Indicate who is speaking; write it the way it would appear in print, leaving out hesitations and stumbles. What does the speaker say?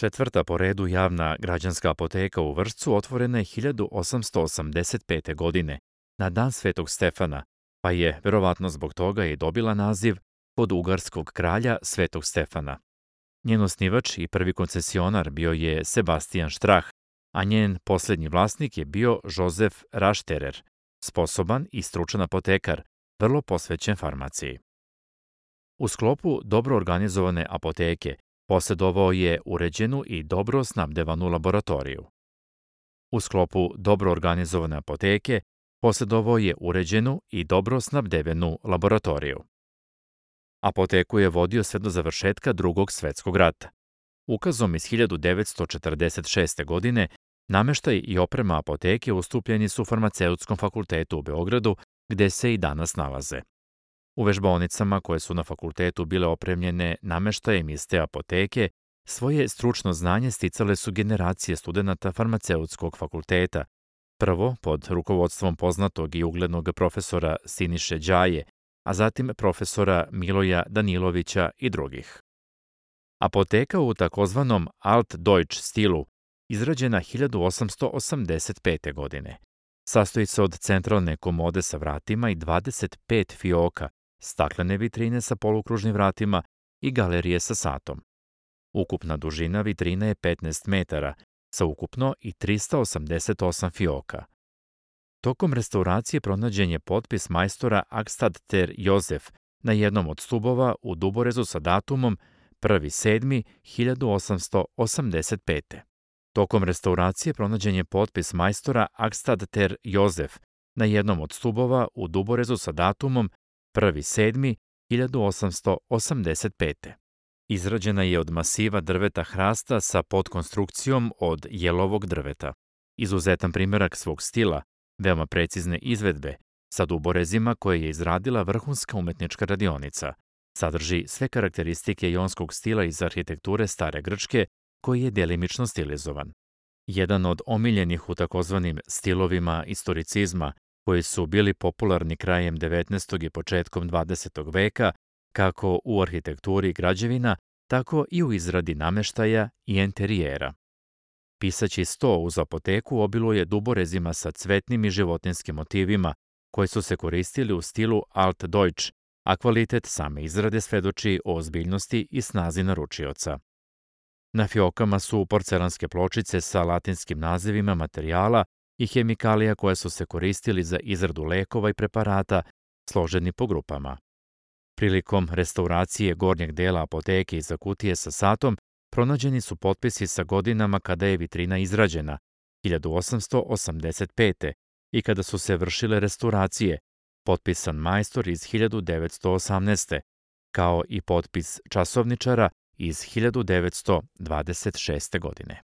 Speaker 1: Četvrta po redu javna građanska apoteka u Vršcu otvorena je 1885. godine, na dan Svetog Stefana, pa je, verovatno zbog toga, i dobila naziv od ugarskog kralja Svetog Stefana. Njen osnivač i prvi koncesionar bio je Sebastijan Štrah, a njen poslednji vlasnik je bio Jozef Rašterer, sposoban i stručan apotekar, vrlo posvećen farmaciji. U sklopu dobro organizovane apoteke posjedovao je uređenu i dobro snabdevanu laboratoriju. U sklopu dobro organizovane apoteke posjedovao je uređenu i dobro snabdevenu laboratoriju. Apoteku je vodio sve do završetka Drugog svetskog rata. Ukazom iz 1946. godine nameštaj i oprema apoteke ustupljeni su Farmaceutskom fakultetu u Beogradu, gde se i danas nalaze. U vežbaonicama koje su na fakultetu bile opremljene nameštajem iz te apoteke, svoje stručno znanje sticale su generacije studenata Farmaceutskog fakulteta, prvo pod rukovodstvom poznatog i uglednog profesora Siniše Đaje, a zatim profesora Miloja Danilovića i drugih. Apoteka u takozvanom Altdeutsch stilu, izrađena 1885. godine, sastoji se od centralne komode sa vratima i 25 fioka, staklene vitrine sa polukružnim vratima i galerije sa satom. Ukupna dužina vitrine je 15 metara, sa ukupno i 388 fioka. Tokom restauracije pronađen je potpis majstora Akstad ter Jozef na jednom od stubova u duborezu sa datumom 1.7.1885. Tokom restauracije pronađen je potpis majstora Akstad ter Jozef na jednom od stubova u duborezu sa datumom 1.7.1885. Izrađena je od masiva drveta hrasta sa podkonstrukcijom od jelovog drveta. Izuzetan primerak svog stila, veoma precizne izvedbe, sa duborezima koje je izradila vrhunska umetnička radionica, sadrži sve karakteristike jonskog stila iz arhitekture Stare Grčke, koji je delimično stilizovan. Jedan od omiljenih u takozvanim stilovima istoricizma, koji su bili popularni krajem 19. i početkom 20. veka, kako u arhitekturi građevina, tako i u izradi nameštaja i enterijera. Pisaći sto uz apoteku obiluje duborezima sa cvetnim i životinskim motivima, koji su se koristili u stilu Altdeutsch, a kvalitet same izrade svedoči o ozbiljnosti i snazi naručioca. Na fiokama su porcelanske pločice sa latinskim nazivima materijala i hemikalija koje su se koristili za izradu lekova i preparata, složeni po grupama. Prilikom restauracije gornjeg dela apoteke iza kutije sa satom pronađeni su potpisi sa godinama kada je vitrina izrađena, 1885. i kada su se vršile restauracije, potpisan majstor iz 1918. kao i potpis časovničara iz 1926. godine.